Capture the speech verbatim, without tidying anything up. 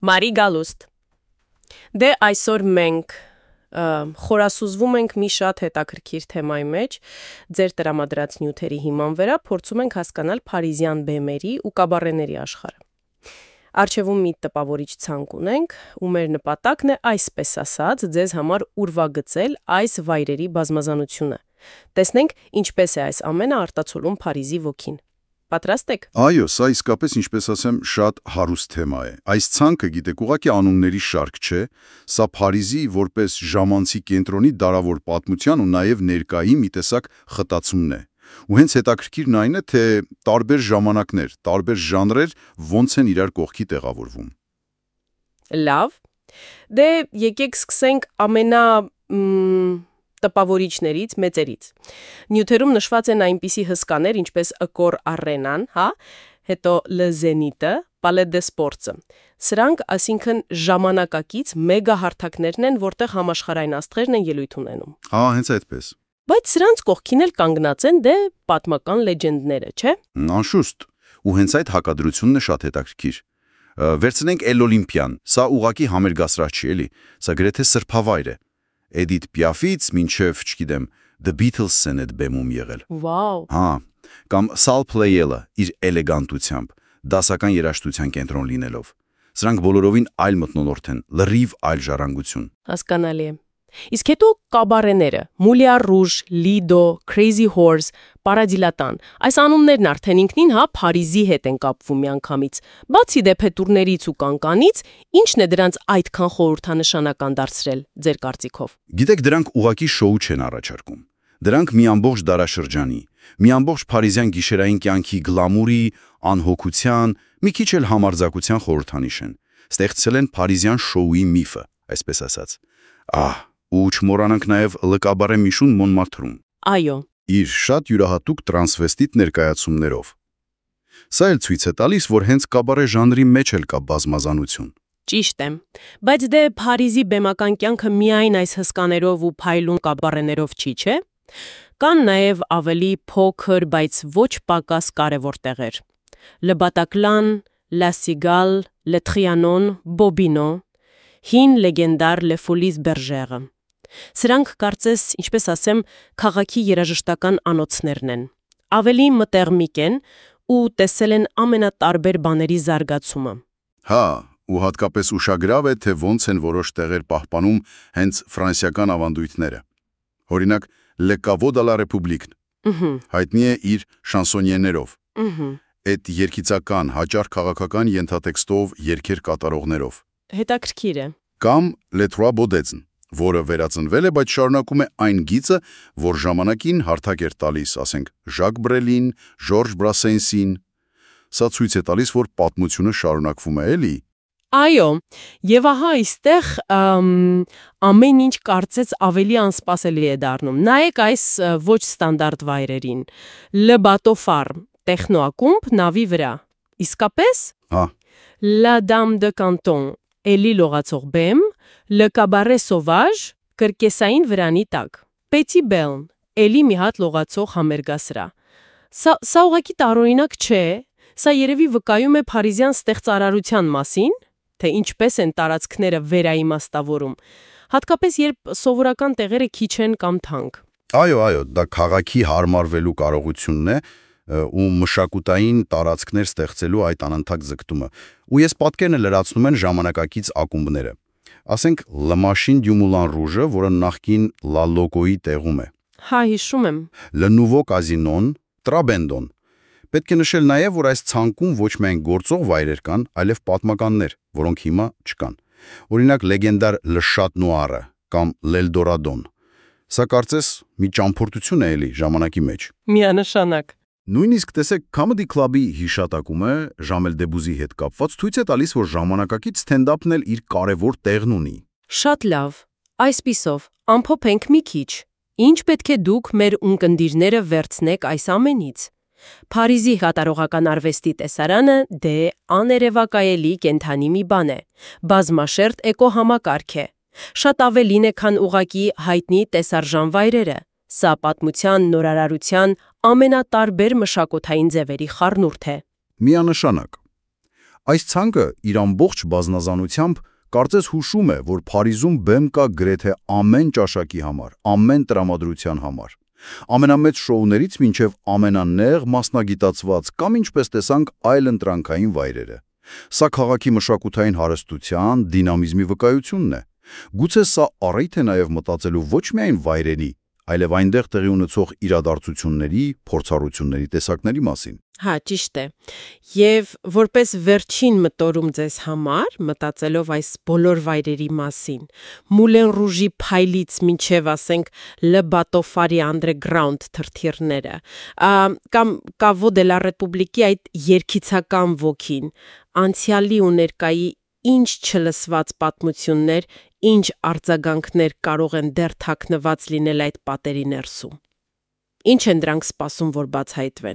Մարի Գալուստ։ Դե այսօր մենք խորասուզվում ենք մի շատ հետաքրքիր թեմայի մեջ, ձեր տրամադրած նյութերի հիման վրա փորձում ենք հասկանալ փարիզյան բեմերի ու կաբարեների աշխարհը։ Առջևում մի տպավորիչ ցանկ ունենք, ու մեր նպատակն է այսպես ասած ձեզ համար ուրվագծել այս վայրերի բազմազանությունը։ Տեսնենք ինչպես է այս ամենը արտացոլում Փարիզի ոգին։ Պատրաստ եք։ Այո, սա իսկապես, ինչպես ասեմ, շատ հարուստ թեմա է։ Այս ցանկը, գիտեք, ուղղակի անունների շարք չէ, սա Փարիզի որպես ժամանցի կենտրոնի դարավոր պատմության ու նաև ներկայի մի տեսակ խտացումն է։ Ու հենց հետաքրքիրն այն է, թե տարբեր ժամանակներ, տարբեր ժանրեր ոնց են իրար կողքի տեղավորվում։ Լավ։ Դե եկեք սկսենք ամենա տպավորիչներից, մեծերից։ Նյութերում նշված են այնպիսի հսկաներ, ինչպես Accor Arena-ն, հա, հետո Le Zénith-ը, Palais des Sports-ը։ Սրանք, այսինքն, ժամանակակից մեգա հարթակներն են, որտեղ համաշխարհային աստղերն են ելույթ ունենում։ Հա, հենց այդպես։ Բայց սրանց կողքին էլ կանգնած են դե պատմական լեջենդները, չէ՞։ Անշուշտ։ Ու հենց այդ հակադրությունն է շատ հետաքրքիր։ Վերցնենք El Olympian, սա ուղղակի համերգասրահ չի, էլի, սա գրեթե սրբավայր է։ Edith Piaf-ից մինչև, չգիտեմ, The Beatles-ն այդ բեմում եղել։ Վաու։ Հա, կամ Saul Pleyel-ը իր էլեգանտությամբ, դասական երաժշտության կենտրոն լինելով։ Սրանք բոլորովին այլ մթնոլորտ են, լրիվ այլ ժառանգություն։ Հասկանալի է։ Իսկ հետո կաբարեները՝ Moulin Rouge, Lido, Crazy Horse, Paradis-Latin։ Այս անուններն արդեն ինքնին հա Փարիզի հետ են կապվում միանգամից։ Բացի դեփետուրներից ու կանկանից, ի՞նչն է դրանց այդքան խորհրդանշանական դարձրել ձեր կարծիքով։ Գիտեք, դրանք ուղակի շոու չեն առաջարկում։ Դրանք մի ամբողջ դարաշրջանի, մի ամբողջ փարիզյան գիշերային կյանքի գլամուրի, անհոգության, մի քիչ էլ համարձակության խորհրդանիշ են։ Ստեղծել են փարիզյան շոուի միֆը, այսպես ասած։ Ահ, ու չմոռանանք նաև Le Cabaret Michon Montmartre-ում։ Այո։ Իր շատ յուրահատուկ տրանսվեստիտ ներկայացումներով։ Սա էլ ցույց է տալիս, որ հենց կաբարե ժանրի մեջ էլ կա բազմազանություն։ Ճիշտ է։ Բայց դե Փարիզի բեմական կյանքը միայն այս հսկաներով ու փայլուն կաբարեներով չի, չէ՞։ Կան նաև ավելի փոքր, բայց ոչ պակաս կարևոր տեղեր։ Le Bataclan, La Cigale, Le Trianon, Bobino, հին լեգենդար Le Folies Bergère-ը։ Սրանք կարծես, ինչպես ասեմ, քաղաքի երաժշտական անոթներն են։ Ավելի մտերմիկ են ու տեսել են ամենատարբեր բաների զարգացումը։ Հա, ու հատկապես ուշագրավ է, թե ոնց են որոշ տեղեր պահպանում հենց ֆրանսիական ավանդույթները։ Օրինակ, Le Caveau de la République հայտնի է իր շանսոնիեներով։ Այդ երգիծական, հաճար քաղաքական ենթատեքստով երգեր կատարողներով։ Հետաքրքիր է։ Կամ Les Trois Baudets, որը վերածնվել է, բայց շարունակում է այն գիծը, որ ժամանակին հարթակ էր տալիս, ասենք, Ժակ Բրելին, Ժորժ Բրասենսին։ Սա ցույց է տալիս, որ պատմությունը շարունակվում է, էլի։ Այո, եւ ահա այստեղ ամեն ինչ կարծես ավելի անսպասելի է դառնում։ Նայեք այս ոչ ստանդարտ վայրերին։ Le Bateau Phare, տեխնոակումբ նավի վրա։ Իսկապես։ Հա։ La Dame de Canton, էլի լողացող բեմ, Le Cabaret Sauvage, կրկեսային վրանի տակ։ Petit Bell, էլի մի հատ լողացող համերգասրահ։ Սա սա ուղղակի տարօրինակ չէ, սա երևի վկայում է փարիզյան ստեղծարարության մասին, թե ինչպես են տարածքները վերաիմաստավորում, հատկապես երբ սովորական տեղերը քիչ են կամ թանկ։ Այո, այո, դա քաղաքի հարմարվելու կարողությունն է ու մշակութային տարածքներ ստեղծելու այդ անընդհատ ձգտումը։ Ու ես պատկերն լրացնում են ժամանակակից ակումբները։ Ասենք Le Machine du Moulin Rouge-ը, որը նախկին La Loco-ի տեղում է։ Հա, հիշում եմ։ Le Nouveau Casino-ն, Trabendon։ Պետք է նշել նաև, որ այս ցանկում ոչ միայն գործող վայրեր կան, այլև պատմականներ, որոնք հիմա չկան։ Օրինակ լեգենդար Le Chat Noir-ը կամ L'Eldorado-ն։ Սա կարծես մի ճամփորդություն է էլի ժամանակի մեջ։ Միանշանակ։ Նույնիսկ տեսեք Comedy Club-ի հիշատակումը Ժամել Դեբուզի հետ կապված ցույց է տալիս, որ ժամանակակից ստենդափն էլ իր կարևոր տեղն ունի։ Շատ լավ։ Այսպիսով, ամփոփենք մի քիչ։ Ինչ պետք է դուք մեր ունկնդիրները վերցնեք այս ամենից։ Փարիզի կատարողական արվեստի տեսարանը դե աներևակայելի կենթանի մի բան է։ Բազմաշերտ էկոհամակարգ է։ Շատ ավելին է, քան ուղակի հայտնի տեսարժան վայրերը։ Սա պատմության, նորարարության ամենատարբեր մշակութային ձևերի խառնուրդ է։ Միանշանակ։ Այս ցանկը իր ամբողջ բազմազանությամբ կարծես հուշում է, որ Փարիզում բեմ կա գրեթե ամեն ճաշակի համար, ամեն տրամադրության համար։ Ամենամեծ շոուներից մինչև ամենանեղ մասնագիտացված կամ ինչպես տեսանք այլ ընտրանքային վայրերը։ Սա քաղաքի մշակութային հարստության, դինամիզմի վկայությունն է։ Գուցե սա առիթ է նաև մտածելու ոչ միայն վայրերի, այլև այնտեղ տեղի ունեցող իրադարձությունների, փորձառությունների տեսակների մասին։ Հա, ճիշտ է։ Եվ որպես վերջին մտորում ձեզ համար, մտածելով այս բոլոր վայրերի մասին, Մուլեն Ռուժի փայլից մինչև ասենք Le Bateau Phare Underground թրթիռները, կամ Caveau de la République-ի այդ երգիծական ոգին, անցյալի ու ներկայի ինչ չլսված պատմություններ, ինչ արձագանքներ կարող են դեռ թաքնված լինել այդ պատերի ներսում։ Ինչ են դրանք սպասում, որ բացահայտվեն։